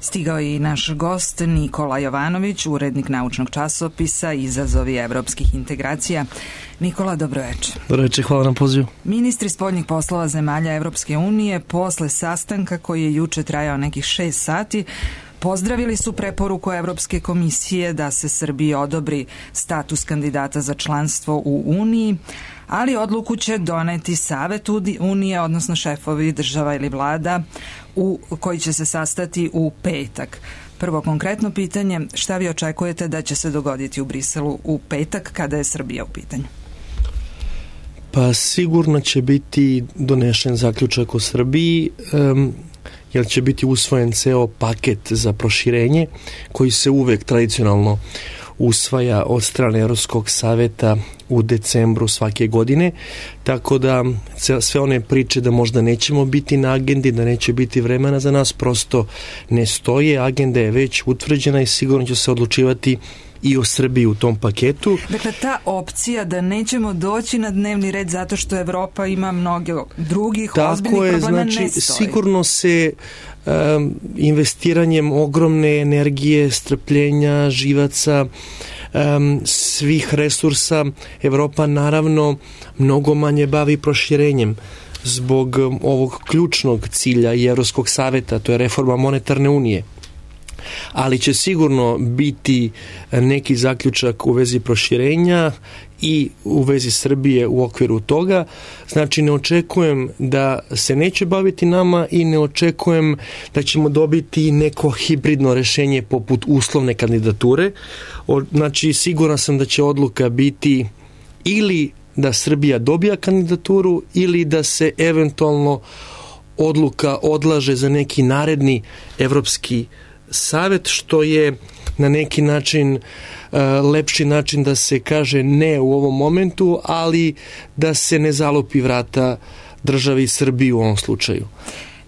Stigao je i naš gost Nikola Jovanović, urednik naučnog časopisa Izazovi evropskih integracija. Nikola, dobroveče. Dobroveče, hvala na pozivu. Ministri spoljnih poslova zemalja Evropske unije posle sastanka koji je juče trajao nekih 6 sati pozdravili su preporuku Evropske komisije da se Srbiji odobri status kandidata za članstvo u Uniji, ali odluku će doneti Savet Unije, odnosno šefovi država ili vlada koji će se sastati u petak. Prvo konkretno pitanje, šta vi očekujete da će se dogoditi u Briselu u petak kada je Srbija u pitanju? Pa sigurno će biti donešen zaključak o Srbiji, jer će biti usvojen ceo paket za proširenje koji se uvek tradicionalno usvaja od strane Evropskog saveta u decembru svake godine, tako da sve one priče da možda nećemo biti na agendi, da neće biti vremena za nas, prosto ne stoje. Agenda je već utvrđena i sigurno će se odlučivati i o Srbiji u tom paketu. Dakle, ta opcija da nećemo doći na dnevni red zato što Evropa ima mnogo drugih ozbiljnih problema ne stoji. Sigurno se investiranjem ogromne energije, strpljenja, živaca, svih resursa, Evropa naravno mnogo manje bavi proširenjem zbog ovog ključnog cilja i Evropskog saveta, to je reforma monetarne unije. Ali će sigurno biti neki zaključak u vezi proširenja i u vezi Srbije u okviru toga. Znači, ne očekujem da se neće baviti nama i ne očekujem da ćemo dobiti neko hibridno rešenje poput uslovne kandidature. Znači, siguran sam da će odluka biti ili da Srbija dobija kandidaturu ili da se eventualno odluka odlaže za neki naredni Evropski savet, što je na neki način lepši način da se kaže ne u ovom momentu, ali da se ne zalupi vrata državi Srbiji u ovom slučaju.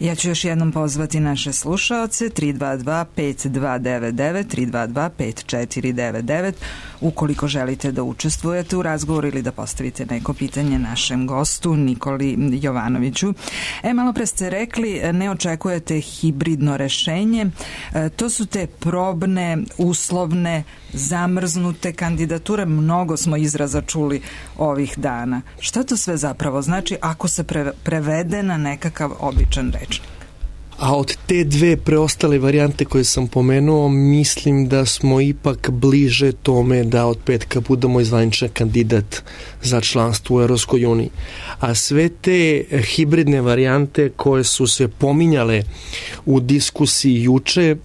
Ja ću još jednom pozvati naše slušaoce 322-5299, 322-5499, ukoliko želite da učestvujete u razgovoru ili da postavite neko pitanje našem gostu Nikoli Jovanoviću. Malo pre ste rekli, ne očekujete hibridno rešenje. To su te probne, uslovne, zamrznute kandidature. Mnogo smo izraza čuli ovih dana. Šta to sve zapravo znači ako se prevede na nekakav običan rečnik? A od te dve preostale varijante koje sam pomenuo, mislim da smo ipak bliže tome da od petka budemo zvaničan kandidat za članstvo u Evropskoj uniji. A sve te hibridne varijante koje su se pominjale u diskusiji juče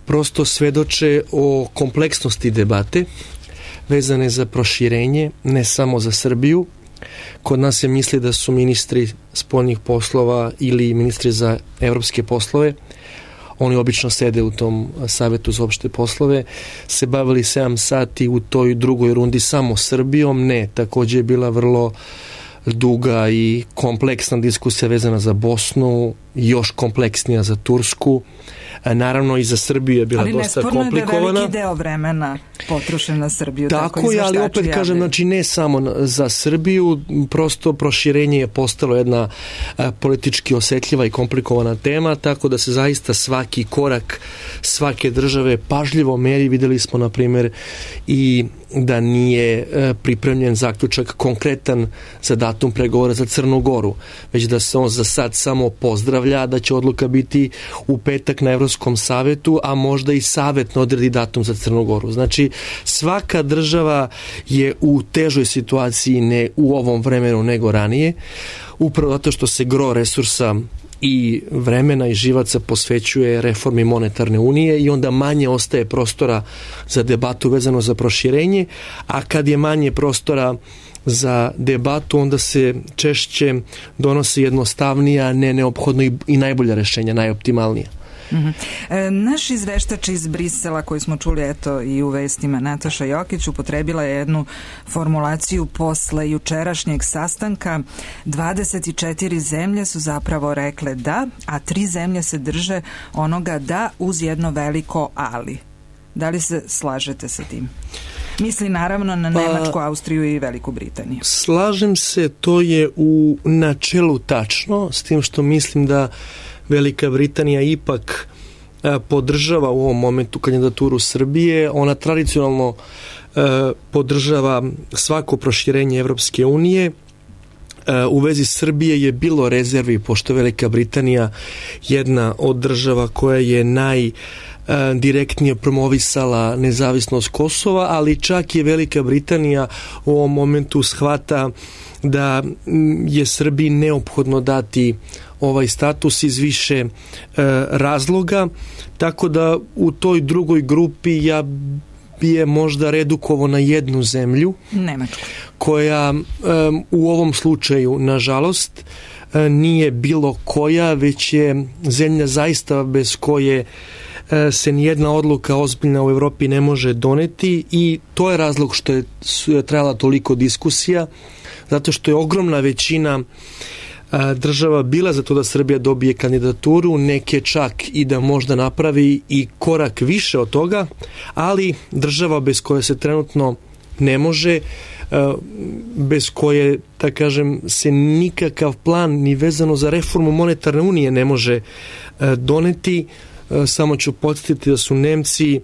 prosto svedoče o kompleksnosti debate vezane za proširenje, ne samo za Srbiju. Kod nas se misli da su ministri spoljnih poslova ili ministri za evropske poslove, oni obično sede u tom savetu za opšte poslove, se bavili 7 sati u toj drugoj rundi samo Srbijom. Ne, takođe je bila vrlo duga i kompleksna diskusija vezana za Bosnu, još kompleksnija za Tursku. Naravno i za Srbiju je bila dosta komplikovana. Ali nesporno je da je veliki deo vremena potrošen na Srbiju. Tako je, ali opet kažem, znači ne samo za Srbiju, prosto proširenje je postalo jedna politički osetljiva i komplikovana tema, tako da se zaista svaki korak svake države pažljivo meri. Videli smo, na primjer, i da nije pripremljen zaključak konkretan za datum pregovora za Crnu Goru, već da se on za sad samo pozdravlja, da će odluka biti u petak na Evropskom savetu, a možda i savet ne odredi datum za Crnu Goru. Znači, svaka država je u težoj situaciji ne u ovom vremenu nego ranije, upravo zato što se gro resursa i vremena i živaca posvećuje reformi monetarne unije i onda manje ostaje prostora za debatu vezano za proširenje, a kad je manje prostora za debatu, onda se češće donose jednostavnija, ne neophodno i najbolja rešenja, najoptimalnija. Naš izveštač iz Brisela koji smo čuli eto i u vestima, Nataša Jokić, upotrebila je jednu formulaciju posle jučerašnjeg sastanka. 24 zemlje su zapravo rekle da, a 3 zemlje se drže onoga da uz jedno veliko ali. Da li se slažete sa tim? Misli naravno na Nemačku, Austriju i Veliku Britaniju. Slažem se, to je u načelu tačno, s tim što mislim da Velika Britanija ipak podržava u ovom momentu kandidaturu Srbije. Ona tradicionalno podržava svako proširenje Evropske unije. U vezi Srbije je bilo rezervi, pošto Velika Britanija jedna od država koja je najdirektnije promovisala nezavisnost Kosova, ali čak je Velika Britanija u ovom momentu shvata da je Srbiji neophodno dati ovaj status iz više razloga, tako da u toj drugoj grupi ja bi je možda redukovao na jednu zemlju, Nemačku, koja u ovom slučaju, nažalost, nije bilo koja, već je zemlja zaista bez koje se nijedna odluka ozbiljna u Evropi ne može doneti, i to je razlog što je trajala toliko diskusija, zato što je ogromna većina država bila za to da Srbija dobije kandidaturu, neke čak i da možda napravi i korak više od toga, ali država bez koje se trenutno ne može, bez koje, da kažem, se nikakav plan ni vezano za reformu monetarne unije ne može doneti. Samo ću podsjetiti da su Nemci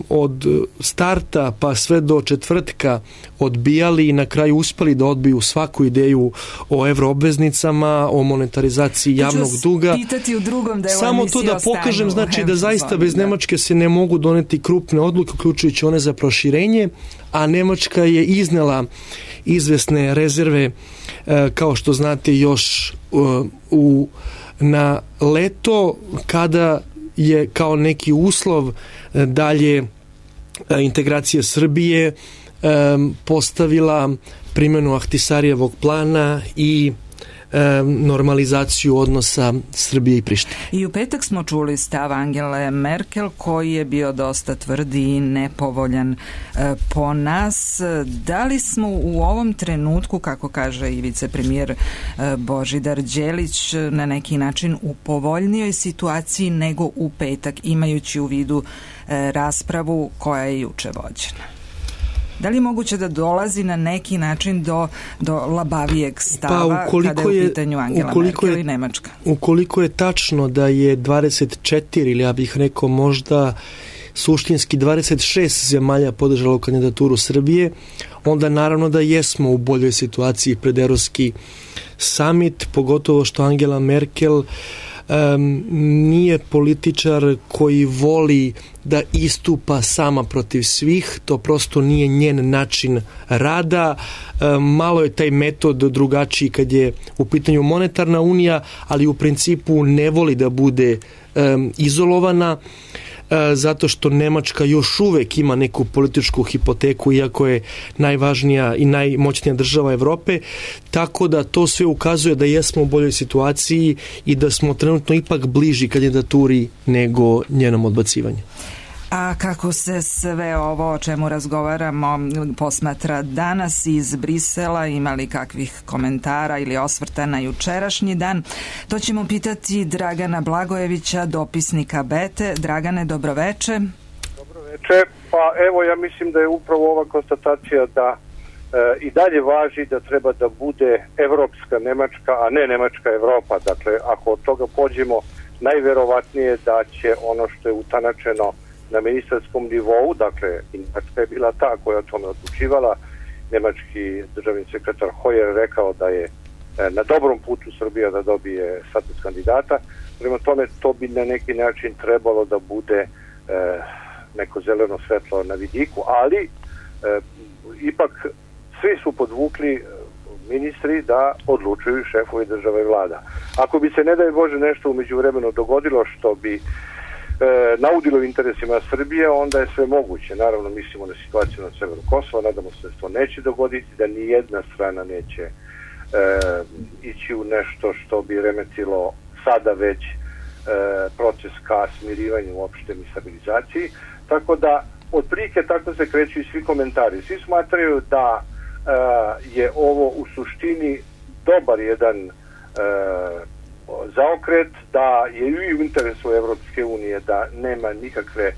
od starta pa sve do četvrtka odbijali i na kraju uspeli da odbiju svaku ideju o evroobveznicama, o monetarizaciji javnog duga. U drugom delu samo to da pokažem, znači da zaista bez Nemačke se ne mogu doneti krupne odluke, uključujući one za proširenje, a Nemačka je iznela izvesne rezerve, kao što znate, još na leto, kada je kao neki uslov dalje integracije Srbije postavila primjenu Ahtisarijevog plana i normalizaciju odnosa Srbije i Prištine. I u petak smo čuli stav Angele Merkel, koji je bio dosta tvrdi i nepovoljan po nas. Da li smo u ovom trenutku, kako kaže i vicepremijer Božidar Đelić, na neki način u povoljnijoj situaciji nego u petak, imajući u vidu raspravu koja je juče vođena? Da li je moguće da dolazi na neki način do labavijeg stava kada je u pitanju Angela Merkel i Nemačka? Ukoliko je tačno da je 24 ili ja bih rekao možda suštinski 26 zemalja podržalo kandidaturu Srbije, onda naravno da jesmo u boljoj situaciji pred Evropski summit, pogotovo što Angela Merkel nije političar koji voli da istupa sama protiv svih, to prosto nije njen način rada. Malo je taj metod drugačiji kad je u pitanju monetarna unija, ali u principu ne voli da bude izolovana, zato što Nemačka još uvek ima neku političku hipoteku, iako je najvažnija i najmoćnija država Evrope, tako da to sve ukazuje da jesmo u boljoj situaciji i da smo trenutno ipak bliži kandidaturi nego njenom odbacivanju. A kako se sve ovo o čemu razgovaramo posmatra danas iz Brisela, ima li kakvih komentara ili osvrta na jučerašnji dan? To ćemo pitati Dragana Blagojevića, dopisnika Bete. Dragane, dobroveče. Dobroveče. Pa evo, ja mislim da je upravo ova konstatacija da i dalje važi da treba da bude evropska Nemačka, a ne Nemačka Evropa. Dakle, ako od toga pođemo, najverovatnije da će ono što je utanačeno na ministarskom nivou, dakle, Nemačka je bila ta koja o tome odlučivala. Nemački državni sekretar Hoyer rekao da je na dobrom putu Srbija da dobije status kandidata. Prema tome, to bi na neki način trebalo da bude neko zeleno svetlo na vidiku, ali ipak svi su podvukli ministri da odlučuju šefovi države i vlada. Ako bi se, ne daj Bože, nešto u međuvremenu dogodilo što bi naudilo interesima Srbije, onda je sve moguće. Naravno, mislimo na situaciju na severu Kosova, nadamo se da to neće dogoditi, da ni jedna strana neće ići u nešto što bi remetilo sada već proces ka smirivanju uopšte i stabilizaciji. Tako da, otprilike tako se kreću i svi komentari. Svi smatraju da je ovo u suštini dobar jedan zaokret, da je i u interesu Evropske unije da nema nikakve,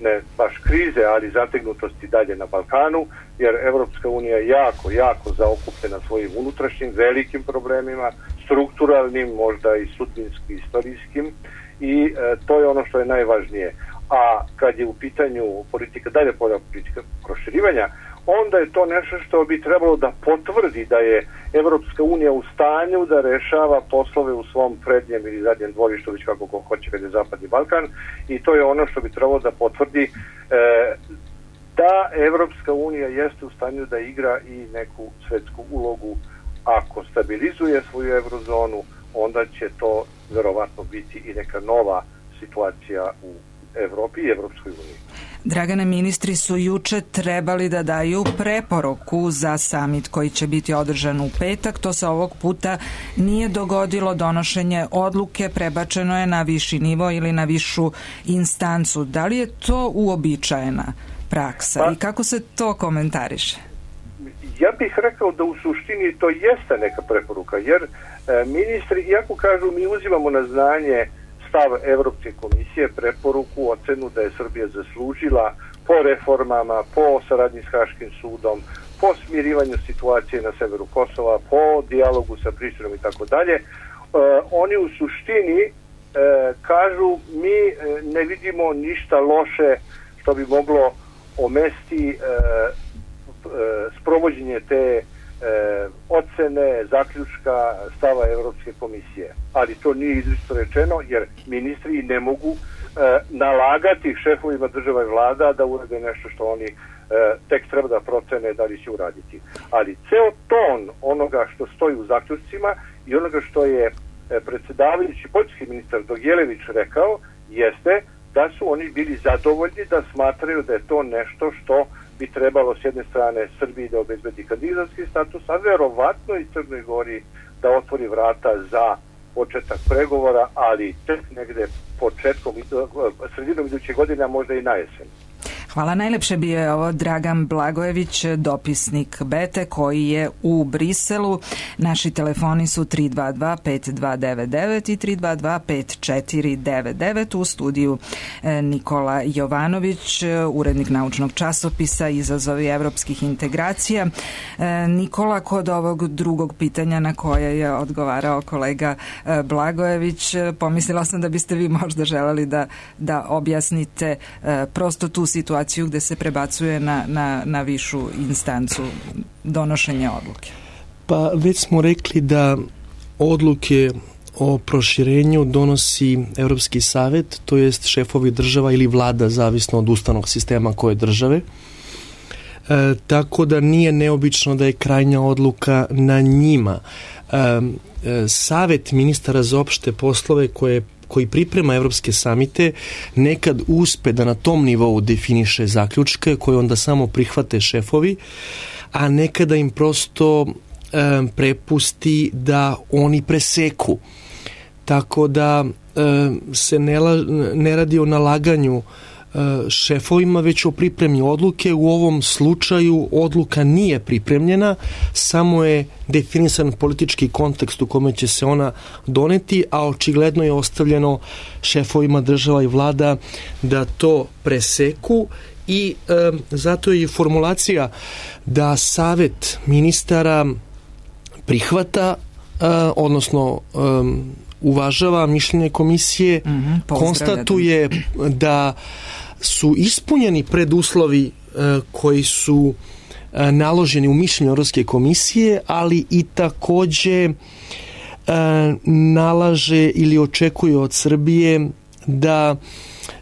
ne baš krize, ali zategnutosti dalje na Balkanu, jer Evropska unija je jako zaokupljena svojim unutrašnjim velikim problemima, strukturalnim, možda i sudbinskim, istorijskim, i to je ono što je najvažnije. A kad je u pitanju politika, dalje politika proširivanja, onda je to nešto što bi trebalo da potvrdi da je Evropska unija u stanju da rešava poslove u svom prednjem ili zadnjem dvorištu, već kako ko hoće kad je Zapadni Balkan, i to je ono što bi trebalo da potvrdi da Evropska unija jeste u stanju da igra i neku svetsku ulogu. Ako stabilizuje svoju eurozonu, onda će to verovatno biti i neka nova situacija u Evropi i Evropskoj uniji. Dragane, ministri su juče trebali da daju preporuku za samit koji će biti održan u petak. To se ovog puta nije dogodilo. Donošenje odluke prebačeno je na viši nivo ili na višu instancu. Da li je to uobičajena praksa i kako se to komentariše? Ja bih rekao da u suštini to jeste neka preporuka, jer ministri, iako kažu mi uzimamo na znanje stav Evropske komisije, preporuku, ocenu da je Srbija zaslužila po reformama, po saradnji s Haškim sudom, po smirivanju situacije na severu Kosova, po dijalogu sa Prištinom i tako dalje, oni u suštini kažu mi ne vidimo ništa loše što bi moglo omesti sprovođenje te ocene, zaključka, stava Evropske komisije. Ali to nije izričito rečeno, jer ministri ne mogu nalagati šefovima država i vlada da urade nešto što oni tek treba da procene da li će uraditi. Ali ceo ton onoga što stoji u zaključcima i onoga što je predsjedavajući poljski ministar Dogijelević rekao jeste da su oni bili zadovoljni, da smatraju da je to nešto što bi trebalo s jedne strane Srbiji da obezbedi kandidatski status, a verovatno i Crnoj Gori da otvori vrata za početak pregovora, ali tek negde sredinom iduće godine, a možda i na jesen. Hvala. Najlepše bio je ovo Dragan Blagojević, dopisnik BETE koji je u Briselu. Naši telefoni su 322-5299 i 322-5499. U studiju Nikola Jovanović, urednik naučnog časopisa Izazovi evropskih integracija. Nikola, kod ovog drugog pitanja na koje je odgovarao kolega Blagojević, pomislila sam da biste vi možda želeli da objasnite prosto tu situaciju gde se prebacuje na višu instancu donošenja odluke. Pa već smo rekli da odluke o proširenju donosi Evropski savet, to jest šefovi država ili vlada, zavisno od ustavnog sistema koje države. Tako da nije neobično da je krajnja odluka na njima. Savet ministara za opšte poslove koji priprema evropske samite nekad uspe da na tom nivou definiše zaključke koje onda samo prihvate šefovi, a nekada im prosto prepusti da oni preseku. Tako da se ne radi o nalaganju šefovima, već o pripremi odluke. U ovom slučaju odluka nije pripremljena, samo je definisan politički kontekst u kome će se ona doneti, a očigledno je ostavljeno šefovima država i vlada da to preseku i zato je formulacija da Savet ministara prihvata, odnosno uvažava mišljenje komisije, konstatuje da su ispunjeni preduslovi koji su naloženi u mišljenju Evropske komisije, ali i takođe nalaže ili očekuje od Srbije da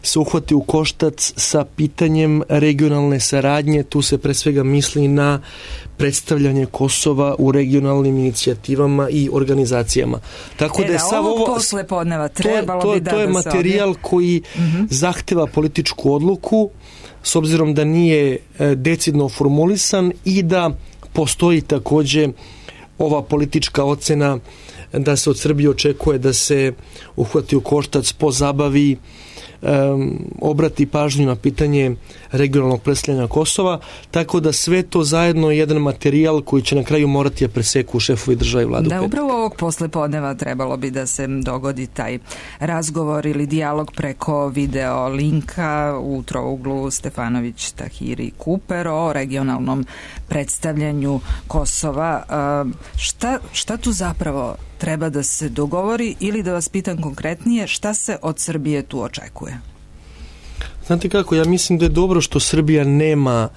se uhvati u koštac sa pitanjem regionalne saradnje. Tu se pre svega misli na predstavljanje Kosova u regionalnim inicijativama i organizacijama. Tako da je sav ovo poslepodneva trebalo to je materijal koji zahteva političku odluku, s obzirom da nije decidno formulisan i da postoji takođe ova politička ocena da se od Srbije očekuje da se uhvati u koštac, pozabavi, obrati pažnju na pitanje regionalnog predstavljanja Kosova, tako da sve to zajedno je jedan materijal koji će na kraju morati da preseku šefovi države i vladu. Da, upravo ovog poslepodneva trebalo bi da se dogodi taj razgovor ili dijalog preko video linka u trouglu Stefanović, Tahiri, Kuper o regionalnom predstavljanju Kosova. Šta tu zapravo treba da se dogovori ili, da vas pitam konkretnije, šta se od Srbije tu očekuje? Znate kako, ja mislim da je dobro što Srbija nema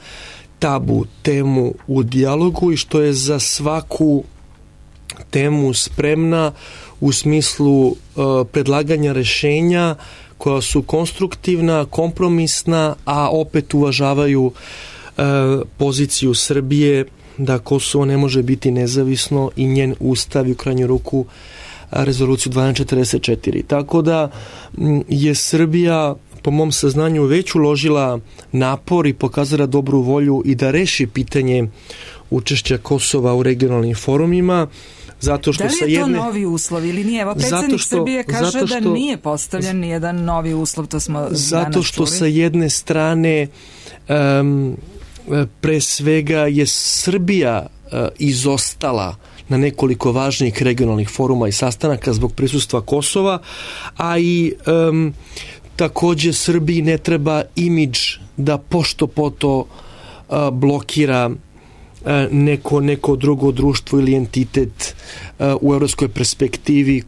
tabu temu u dijalogu i što je za svaku temu spremna u smislu predlaganja rešenja koja su konstruktivna, kompromisna, a opet uvažavaju poziciju Srbije da Kosovo ne može biti nezavisno i njen ustav i u krajnju ruku rezoluciju 1244. Tako da je Srbija po mom saznanju već uložila napor i pokazala dobru volju i da reši pitanje učešća Kosova u regionalnim forumima. Zato što da li je to novi uslov ili nije? Evo, predsjednik Srbije kaže da nije postavljen nijedan novi uslov, to smo danas čuli. Zato što sa jedne strane pre svega je Srbija izostala na nekoliko važnih regionalnih foruma i sastanaka zbog prisustva Kosova, a i takođe Srbiji ne treba imidž da pošto poto blokira neko drugo društvo ili entitet u evropskoj perspektivi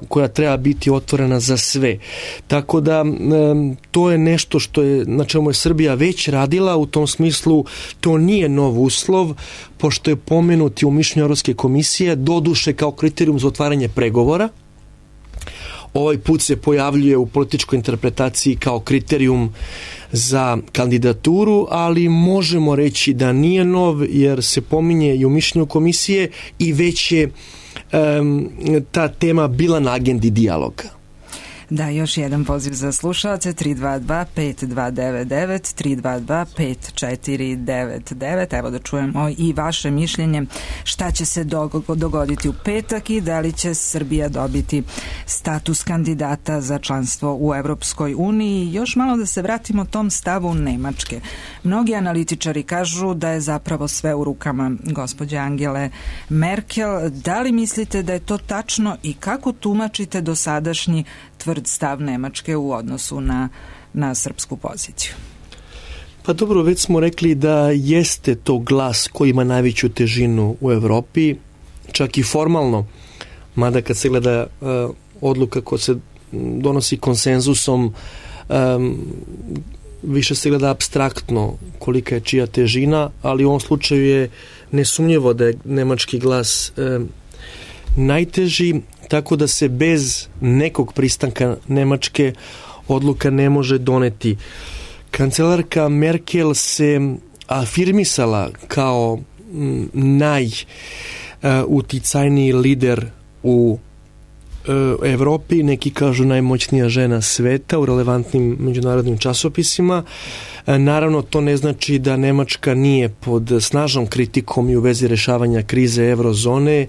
koja treba biti otvorena za sve. Tako da to je nešto na čemu je Srbija već radila, u tom smislu to nije nov uslov, pošto je pomenuti u mišljenju Evropske komisije, doduše kao kriterijum za otvaranje pregovora. Ovaj put se pojavljuje u političkoj interpretaciji kao kriterijum za kandidaturu, ali možemo reći da nije nov, jer se pominje i u mišljenju komisije i već je ta tema bila na agendi dijaloga. Da, još jedan poziv za slušalce, 322-5299, 322-5499. Evo da čujemo i vaše mišljenje šta će se dogoditi u petak i da li će Srbija dobiti status kandidata za članstvo u Evropskoj uniji. Još malo da se vratimo tom stavu Nemačke. Mnogi analitičari kažu da je zapravo sve u rukama gospođe Angele Merkel. Da li mislite da je to tačno i kako tumačite dosadašnji tvrd stav Nemačke u odnosu na srpsku poziciju? Pa dobro, već smo rekli da jeste to glas koji ima najveću težinu u Evropi, čak i formalno, mada kad se gleda odluka koja se donosi konsenzusom, više se gleda apstraktno kolika je čija težina, ali u ovom slučaju je nesumnjivo da je nemački glas najteži, tako da se bez nekog pristanka Nemačke odluka ne može doneti. Kancelarka Merkel se afirmisala kao najuticajniji lider u Evropi, neki kažu najmoćnija žena sveta u relevantnim međunarodnim časopisima. Naravno, to ne znači da Nemačka nije pod snažnom kritikom i u vezi rešavanja krize eurozone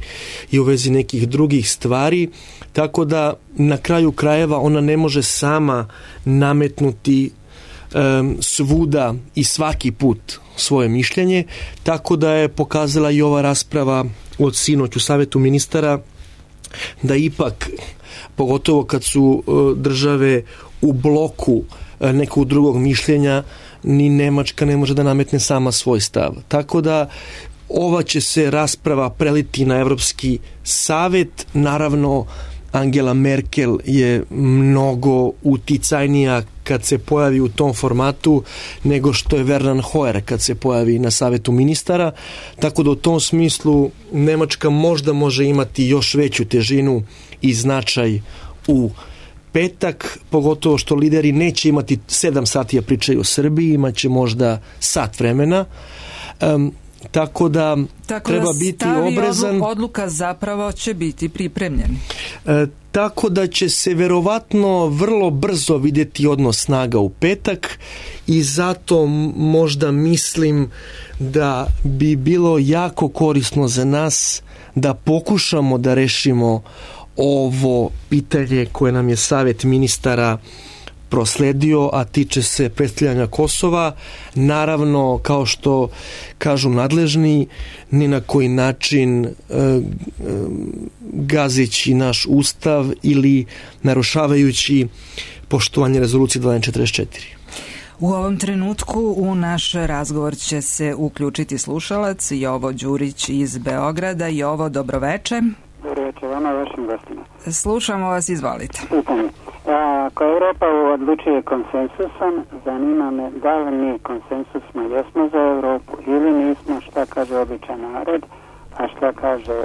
i u vezi nekih drugih stvari, tako da na kraju krajeva ona ne može sama nametnuti svuda i svaki put svoje mišljenje, tako da je pokazala i ova rasprava od sinoć u Savetu ministara da ipak, pogotovo kad su države u bloku nekog drugog mišljenja, ni Nemačka ne može da nametne sama svoj stav. Tako da ova će se rasprava preliti na Evropski savet. Naravno, Angela Merkel je mnogo uticajnija kad se pojavi u tom formatu nego što je Werner Hoyer kad se pojavi na Savetu ministara, tako da u tom smislu Nemačka možda može imati još veću težinu i značaj u petak, pogotovo što lideri neće imati 7 sati da pričaju o Srbiji, imaće možda sat vremena, tako da treba biti oprezan. Odluka zapravo će biti pripremljen. Tako da će se verovatno vrlo brzo vidjeti odnos snaga u petak i zato možda mislim da bi bilo jako korisno za nas da pokušamo da rešimo ovo pitanje koje nam je Savet ministara prosledio, a tiče se predstavljanja Kosova. Naravno, kao što kažu nadležni, ni na koji način gazeći naš ustav ili narušavajući poštovanje rezolucije 1244. U ovom trenutku u naš razgovor će se uključiti slušalac Jovo Đurić iz Beograda. Jovo, dobroveče. Dobroveče vam. vama i vašim gostima. Slušamo vas, izvolite. Pitanje. Ako Europa odlučuje konsensusom, zanima me da li mi konsensusno jesmo za Europu ili nismo, šta kaže običan narod, a šta kaže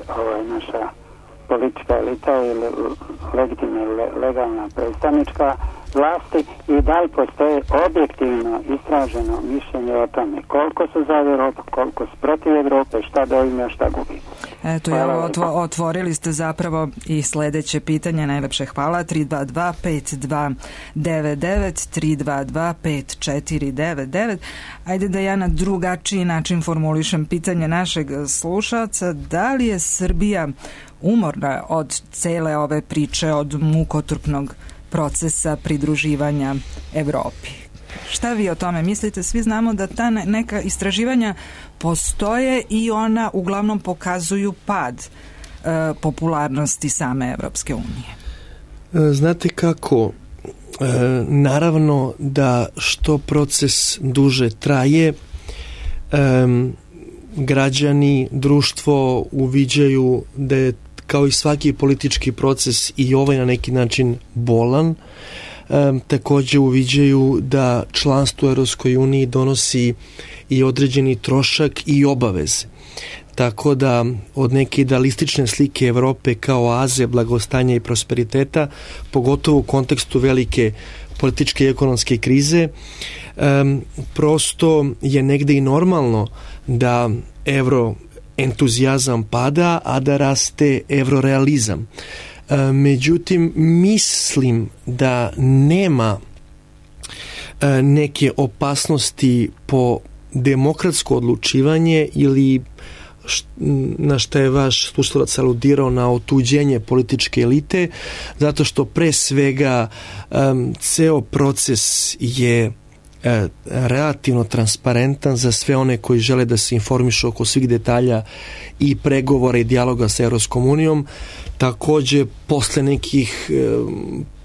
naša politička elita ili legitimna legalna predstavnička vlasti i da li postoje objektivno istraženo mišljenje o tome koliko su za Europu, koliko su protiv Europe, šta doima, šta gubi. Eto, otvorili ste zapravo i sledeće pitanje, najlepše hvala, 322-5299, 322-5499. Ajde da ja na drugačiji način formulišem pitanje našeg slušalca, da li je Srbija umorna od cele ove priče, od mukotrpnog procesa pridruživanja Evropi? Šta vi o tome mislite? Svi znamo da ta neka istraživanja postoje i ona uglavnom pokazuju pad popularnosti same Evropske unije. Znate kako, naravno da što proces duže traje, građani, društvo uviđaju da je kao i svaki politički proces i ovaj na neki način bolan. Takođe uviđaju da članstvo u Europskoj uniji donosi i određeni trošak i obaveze. Tako da od neke idealistične slike Evrope kao oaze blagostanja i prosperiteta, pogotovo u kontekstu velike političke i ekonomske krize, prosto je negde i normalno da euroentuzijazam pada, a da raste eurorealizam. Međutim, mislim da nema neke opasnosti po demokratsko odlučivanje ili na što je vaš slušalac aludirao na otuđenje političke elite, zato što pre svega ceo proces je relativno transparentan za sve one koji žele da se informišu oko svih detalja i pregovora i dijaloga sa Evropskom unijom. Takođe, posle nekih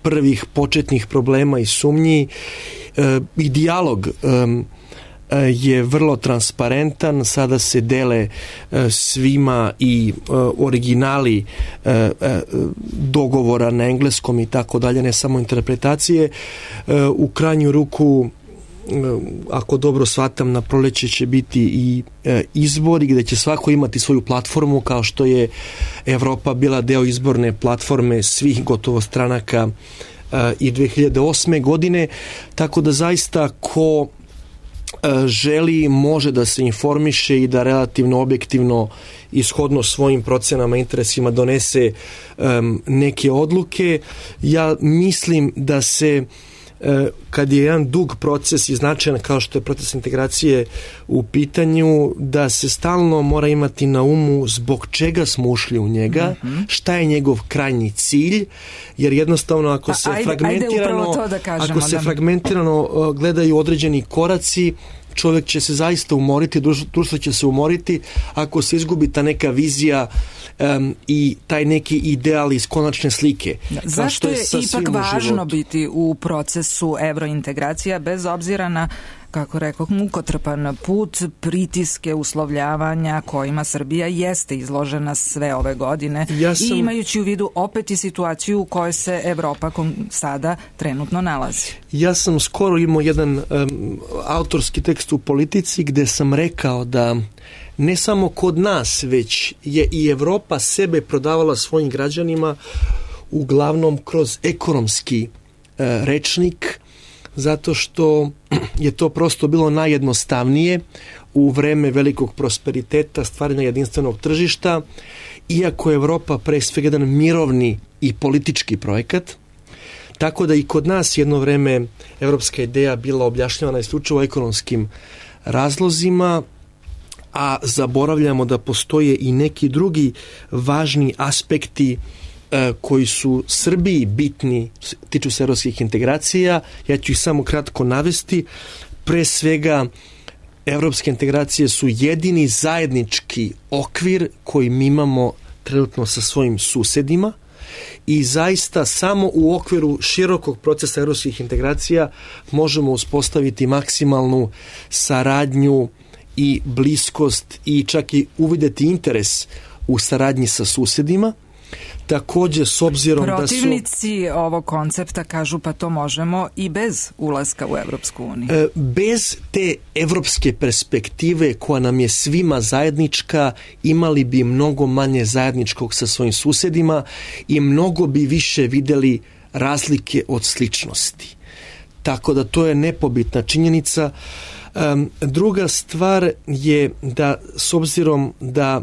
prvih početnih problema i sumnji i dijalog je vrlo transparentan, sada se dele svima i originali dogovora na engleskom i tako dalje, ne samo interpretacije. U krajnju ruku, ako dobro shvatam, na proleće će biti i izbori gde će svako imati svoju platformu, kao što je Evropa bila deo izborne platforme svih gotovo stranaka i 2008. godine, tako da zaista ko želi može da se informiše i da relativno objektivno ishodno svojim procenama, interesima donese neke odluke. Ja mislim da se kad je jedan dug proces i značajan kao što je proces integracije u pitanju, da se stalno mora imati na umu zbog čega smo ušli u njega, šta je njegov krajnji cilj, jer jednostavno ako se fragmentirano gledaju određeni koraci, čovjek će se zaista umoriti, društvo će se umoriti ako se izgubi ta neka vizija i taj neki ideal iz konačne slike. Zašto je ipak važno biti u procesu evrointegracija bez obzira na, kako rekao, mukotrpan put, pritiske, uslovljavanja kojima Srbija jeste izložena sve ove godine i imajući u vidu opet i situaciju u kojoj se Evropa sada trenutno nalazi? Ja sam skoro imao jedan autorski tekst u Politici gde sam rekao da ne samo kod nas, već je i Evropa sebe prodavala svojim građanima uglavnom kroz ekonomski rečnik, zato što je to prosto bilo najjednostavnije u vreme velikog prosperiteta, stvaranja jedinstvenog tržišta, iako je Evropa pre svega jedan mirovni i politički projekat, tako da i kod nas jedno vreme evropska ideja bila objašnjavana isključivo ekonomskim razlozima, a zaboravljamo da postoje i neki drugi važni aspekti koji su Srbiji bitni, tiču se evropskih integracija. Ja ću ih samo kratko navesti. Pre svega, evropske integracije su jedini zajednički okvir koji mi imamo trenutno sa svojim susedima i zaista samo u okviru širokog procesa evropskih integracija možemo uspostaviti maksimalnu saradnju i bliskost i čak i uvideti interes u saradnji sa susedima. Takođe, s obzirom protivnici ovog koncepta kažu pa to možemo i bez ulaska u Evropsku uniju. Bez te evropske perspektive koja nam je svima zajednička, imali bi mnogo manje zajedničkog sa svojim susedima i mnogo bi više videli razlike od sličnosti. Tako da to je nepobitna činjenica. Druga stvar je da, s obzirom da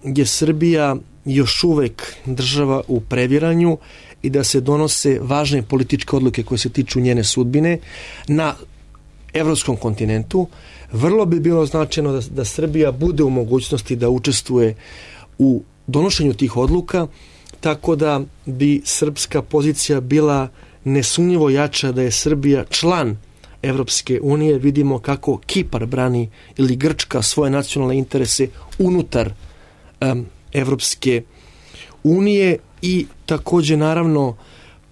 je Srbija još uvek država u previranju i da se donose važne političke odluke koje se tiču njene sudbine na evropskom kontinentu, vrlo bi bilo značajno da Srbija bude u mogućnosti da učestvuje u donošenju tih odluka, tako da bi srpska pozicija bila nesumnjivo jača da je Srbija član Evropske unije. Vidimo kako Kipar brani ili Grčka svoje nacionalne interese unutar Evropske unije i takođe naravno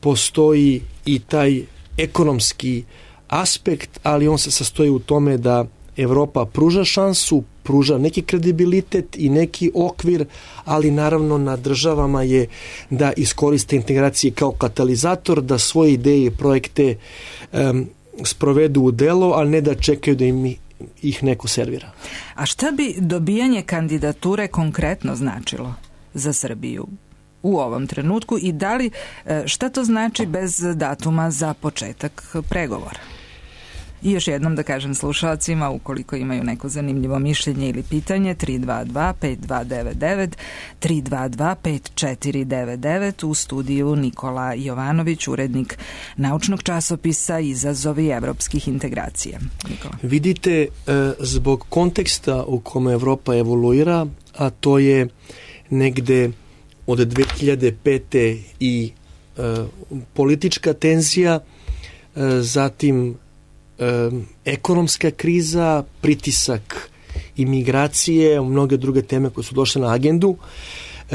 postoji i taj ekonomski aspekt, ali on se sastoji u tome da Evropa pruža šansu, pruža neki kredibilitet i neki okvir, ali naravno na državama je da iskoriste integracije kao katalizator, da svoje ideje i projekte sprovedu u delo, ali ne da čekaju da im ih neko servira. A šta bi dobijanje kandidature konkretno značilo za Srbiju u ovom trenutku i da li, šta to znači bez datuma za početak pregovora? I još jednom da kažem slušalcima, ukoliko imaju neko zanimljivo mišljenje ili pitanje, 322-5299, 322-5499, u studiju Nikola Jovanović, urednik naučnog časopisa Izazovi evropskih integracija. Nikola. Vidite, zbog konteksta u kome Evropa evoluira, a to je negde od 2005. i politička tenzija, zatim ekonomska kriza, pritisak imigracije, mnoge druge teme koje su došle na agendu.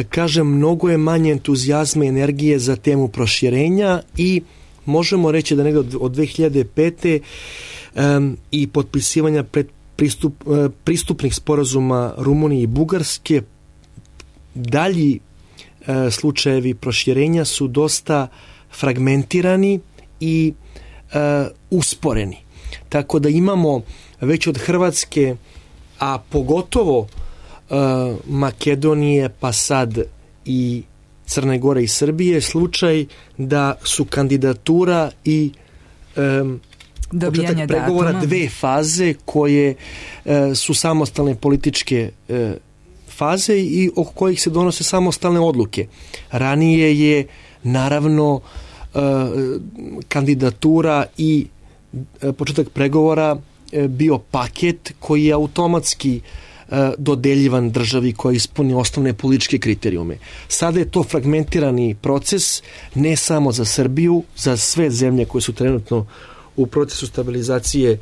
Kažem, mnogo je manje entuzijazma i energije za temu proširenja i možemo reći da negde od 2005. I potpisivanja pristupnih sporazuma Rumunije i Bugarske, dalji slučajevi proširenja su dosta fragmentirani i usporeni. Tako da imamo već od Hrvatske, a pogotovo Makedonije, pa sad i Crne Gore i Srbije, slučaj da su kandidatura i početak pregovora dve faze koje su samostalne političke faze i oko kojih se donose samostalne odluke. Ranije je naravno kandidatura i početak pregovora bio paket koji je automatski dodeljivan državi koja ispuni osnovne političke kriterijume. Sada je to fragmentirani proces, ne samo za Srbiju, za sve zemlje koje su trenutno u procesu stabilizacije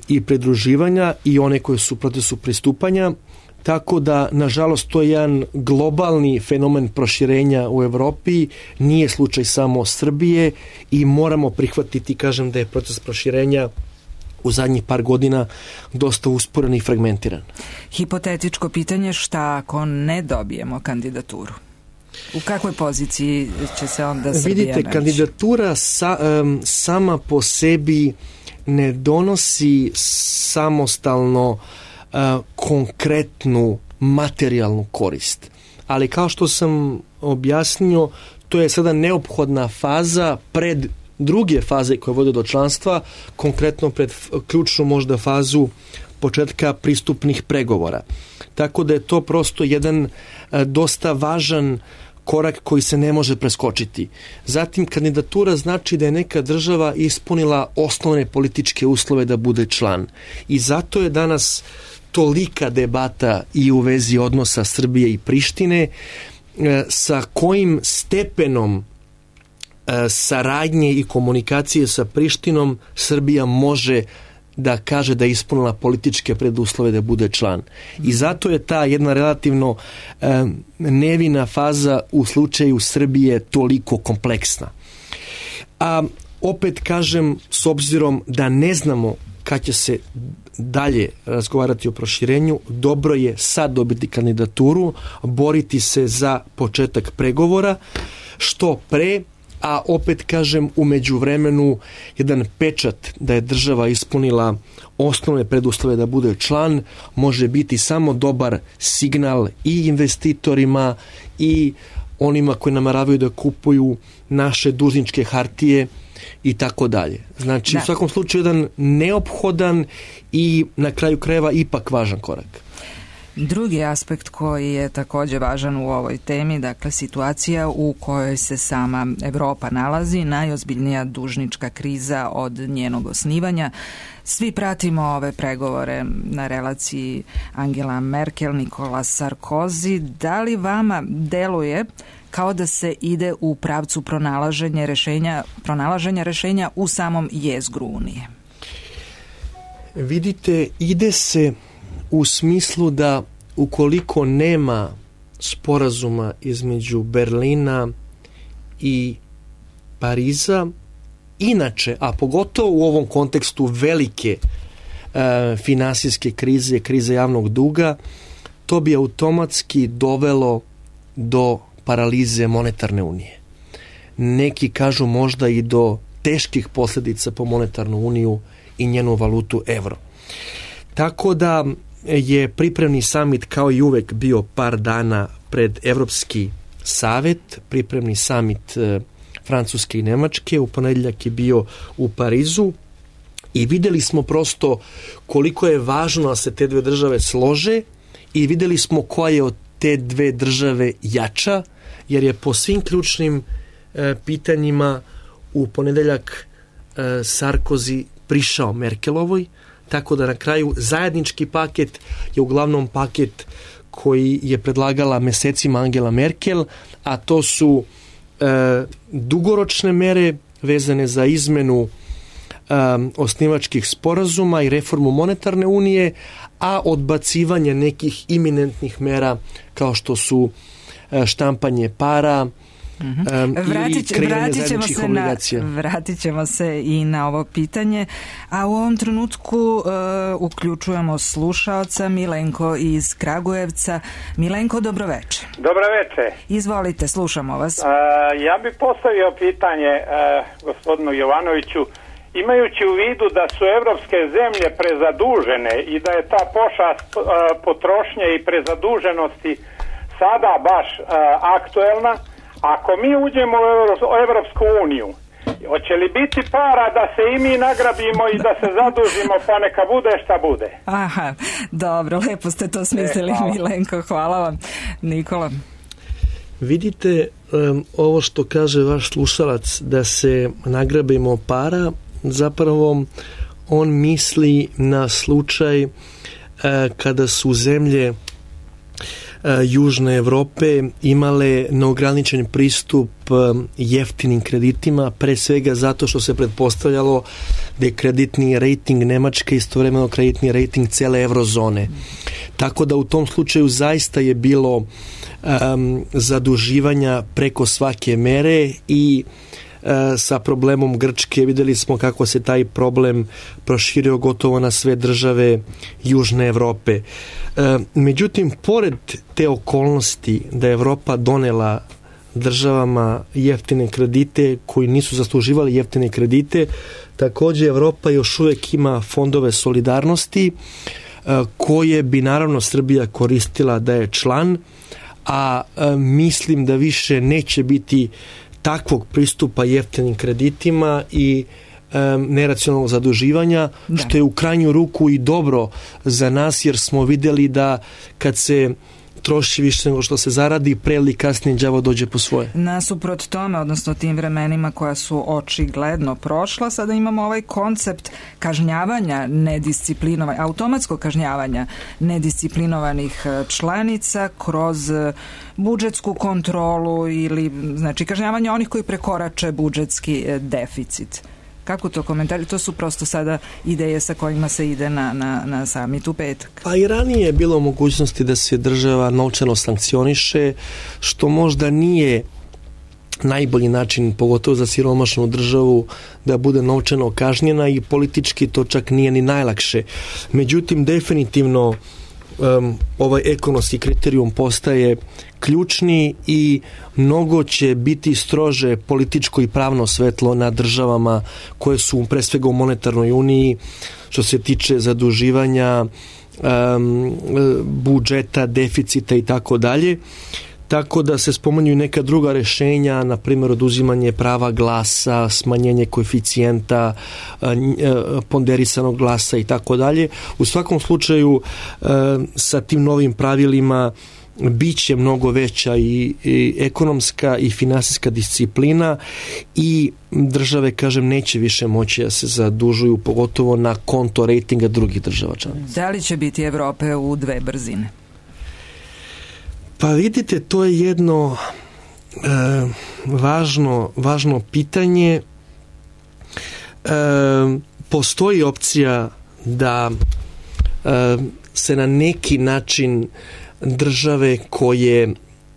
i pridruživanja i one koje su u procesu pristupanja. Tako da, nažalost, to je jedan globalni fenomen proširenja u Evropi, nije slučaj samo Srbije i moramo prihvatiti, kažem, da je proces proširenja u zadnjih par godina dosta usporen i fragmentiran. Hipotetičko pitanje, šta ako ne dobijemo kandidaturu? U kakvoj poziciji će se onda Srbija naći? Vidite, kandidatura sama po sebi ne donosi samostalno konkretnu materijalnu korist. Ali kao što sam objasnio, to je sada neophodna faza pred druge faze koje vode do članstva, konkretno pred ključnu možda fazu početka pristupnih pregovora. Tako da je to prosto jedan dosta važan korak koji se ne može preskočiti. Zatim, kandidatura znači da je neka država ispunila osnovne političke uslove da bude član. I zato je danas tolika debata i u vezi odnosa Srbije i Prištine, sa kojim stepenom saradnje i komunikacije sa Prištinom Srbija može da kaže da je ispunila političke preduslove da bude član. I zato je ta jedna relativno nevina faza u slučaju Srbije toliko kompleksna. A opet kažem, s obzirom da ne znamo kad će se dalje razgovarati o proširenju, dobro je sad dobiti kandidaturu, boriti se za početak pregovora što pre, a opet kažem u međuvremenu jedan pečat da je država ispunila osnovne preduslove da bude član može biti samo dobar signal i investitorima i onima koji nameravaju da kupuju naše dužničke hartije i tako dalje. Znači, u svakom slučaju jedan neophodan i na kraju krajeva ipak važan korak. Drugi aspekt koji je također važan u ovoj temi, dakle situacija u kojoj se sama Evropa nalazi, najozbiljnija dužnička kriza od njenog osnivanja. Svi pratimo ove pregovore na relaciji Angela Merkel, Nicolas Sarkozy. Da li vama deluje kao da se ide u pravcu pronalaženja rešenja u samom jezgru Unije? Vidite, ide se u smislu da ukoliko nema sporazuma između Berlina i Pariza, inače, a pogotovo u ovom kontekstu velike finansijske krize, krize javnog duga, to bi automatski dovelo do paralize monetarne unije. Neki kažu možda i do teških posljedica po monetarnu uniju i njenu valutu euro. Tako da je pripremni samit kao i uvek bio par dana pred Evropski savet, pripremni samit Francuske i Nemačke, u ponedjeljak je bio u Parizu i vidjeli smo prosto koliko je važno da se te dve države slože i vidjeli smo koja je od te dve države jača, jer je po svim ključnim pitanjima u ponedjeljak Sarkozy prišao Merkelovoj, tako da na kraju zajednički paket je uglavnom paket koji je predlagala mesecima Angela Merkel, a to su dugoročne mere vezane za izmenu osnivačkih sporazuma i reformu monetarne unije, a odbacivanje nekih iminentnih mera kao što su štampanje para, Vratit ćemo se i na ovo pitanje, a u ovom trenutku uključujemo slušaoca Milenko iz Kragujevca. Milenko, dobroveče. Dobroveče. Izvolite, slušamo vas. Ja bih postavio pitanje gospodinu Jovanoviću. Imajući u vidu da su evropske zemlje prezadužene i da je ta pošast potrošnje i prezaduženosti sada baš aktuelna, ako mi uđemo u Evropsku uniju, hoće li biti para da se i mi nagrabimo i da se zadužimo, pa neka bude šta bude? Aha, dobro, lepo ste to smislili, Milenko, hvala vam. Nikola? Vidite, ovo što kaže vaš slušalac, da se nagrabimo para, zapravo on misli na slučaj kada su zemlje Južne Evrope imale neograničen pristup jeftinim kreditima, pre svega zato što se pretpostavljalo da je kreditni rating Nemačke istovremeno kreditni rating cele eurozone. Tako da u tom slučaju zaista je bilo zaduživanja preko svake mere i sa problemom Grčke vidjeli smo kako se taj problem proširio gotovo na sve države Južne Evrope. Međutim, pored te okolnosti da je Evropa donela državama jeftine kredite koji nisu zasluživali jeftine kredite, također Evropa još uvijek ima fondove solidarnosti koje bi naravno Srbija koristila da je član, a mislim da više neće biti takvog pristupa jeftinim kreditima i neracionalnog zaduživanja, što je u krajnju ruku i dobro za nas, jer smo vidjeli da kad se troši više nego što se zaradi, pre ili kasnije đavo dođe po svoje. Nasuprot tome, odnosno tim vremenima koja su očigledno prošla, sada imamo ovaj koncept kažnjavanja automatskog kažnjavanja nedisciplinovanih članica kroz budžetsku kontrolu ili znači kažnjavanje onih koji prekorače budžetski deficit. Kako to komentari? To su prosto sada ideje sa kojima se ide na samit u petak. Pa i ranije je bilo mogućnosti da se država novčano sankcioniše, što možda nije najbolji način, pogotovo za siromašnu državu, da bude novčano kažnjena i politički to čak nije ni najlakše. Međutim, definitivno ovaj ekonomski kriterijum postaje ključni i mnogo će biti strože političko i pravno svetlo na državama koje su pre svega u monetarnoj uniji što se tiče zaduživanja, budžeta, deficita i tako dalje. Tako da se spominju neka druga rešenja, na primjer oduzimanje prava glasa, smanjenje koeficijenta, ponderisanog glasa i tako dalje. U svakom slučaju sa tim novim pravilima biće mnogo veća i ekonomska i finansijska disciplina i države, kažem, neće više moći da se zadužuju, pogotovo na konto rejtinga drugih država članica. Da li će biti Evrope u dve brzine? Pa vidite, to je jedno važno pitanje. Postoji opcija da se na neki način države koje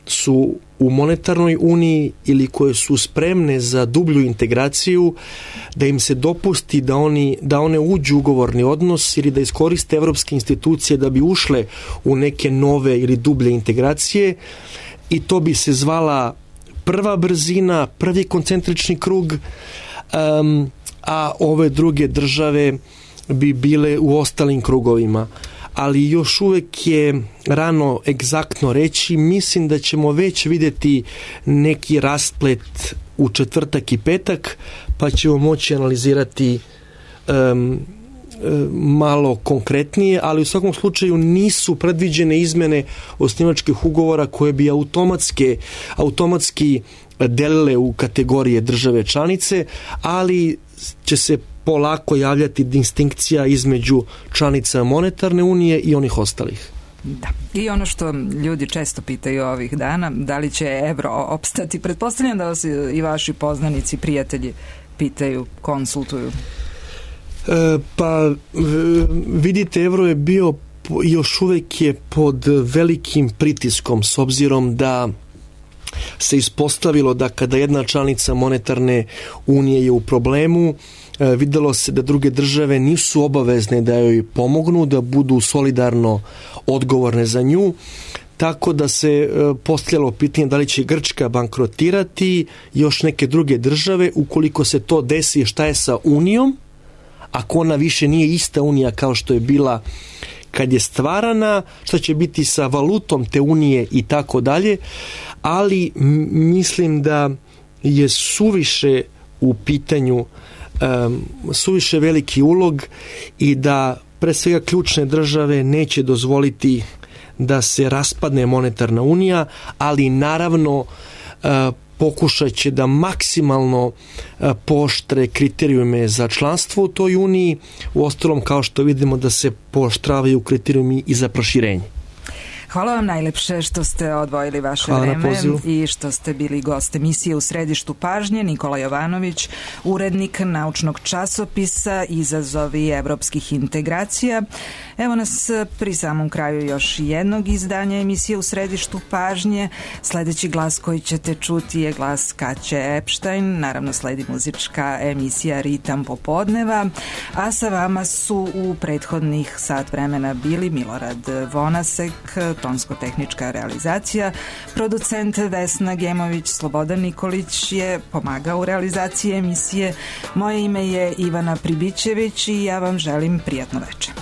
su u monetarnoj uniji ili koje su spremne za dublju integraciju, da im se dopusti da one uđu u ugovorni odnos ili da iskoriste evropske institucije da bi ušle u neke nove ili dublje integracije, i to bi se zvala prva brzina, prvi koncentrični krug, a ove druge države bi bile u ostalim krugovima. Ali još uvek je rano egzaktno reći. Mislim da ćemo već vidjeti neki rasplet u četvrtak i petak, pa ćemo moći analizirati malo konkretnije, ali u svakom slučaju nisu predviđene izmene osnivačkih ugovora koje bi automatski delile u kategorije države članice, ali će se polako javljati distinkcija između članica monetarne unije i onih ostalih. Da. I ono što ljudi često pitaju ovih dana, da li će evro opstati? Pretpostavljam da vas i vaši poznanici, prijatelji pitaju, konsultuju. Pa vidite, evro je bio, još uvek je pod velikim pritiskom, s obzirom da se ispostavilo da kada jedna članica monetarne unije je u problemu, videlo se da druge države nisu obavezne da joj pomognu, da budu solidarno odgovorne za nju, tako da se postavljalo pitanje da li će Grčka bankrotirati, još neke druge države. Ukoliko se to desi, šta je sa Unijom, ako ona više nije ista Unija kao što je bila kad je stvarana, šta će biti sa valutom te Unije i tako dalje, ali mislim da je suviše u pitanju suviše veliki ulog i da pre svega ključne države neće dozvoliti da se raspadne monetarna unija, ali naravno pokušat će da maksimalno pooštre kriterijume za članstvo u toj uniji, uostalom kao što vidimo da se pooštravaju kriterijumi i za proširenje. Hvala vam najlepše što ste odvojili vaše vreme i što ste bili gost emisije U središtu pažnje. Nikola Jovanović, urednik naučnog časopisa Izazovi evropskih integracija. Evo nas pri samom kraju još jednog izdanja emisije U središtu pažnje. Sledeći glas koji ćete čuti je glas Kaće Epštajn. Naravno sledi muzička emisija Ritam popodneva, a sa vama su u prethodnih sat vremena bili Milorad Vonasek, tonsko-tehnička realizacija, producent Vesna Gemović, Slobodan Nikolić je pomagao u realizaciji emisije. Moje ime je Ivana Pribićević i ja vam želim prijatno večer.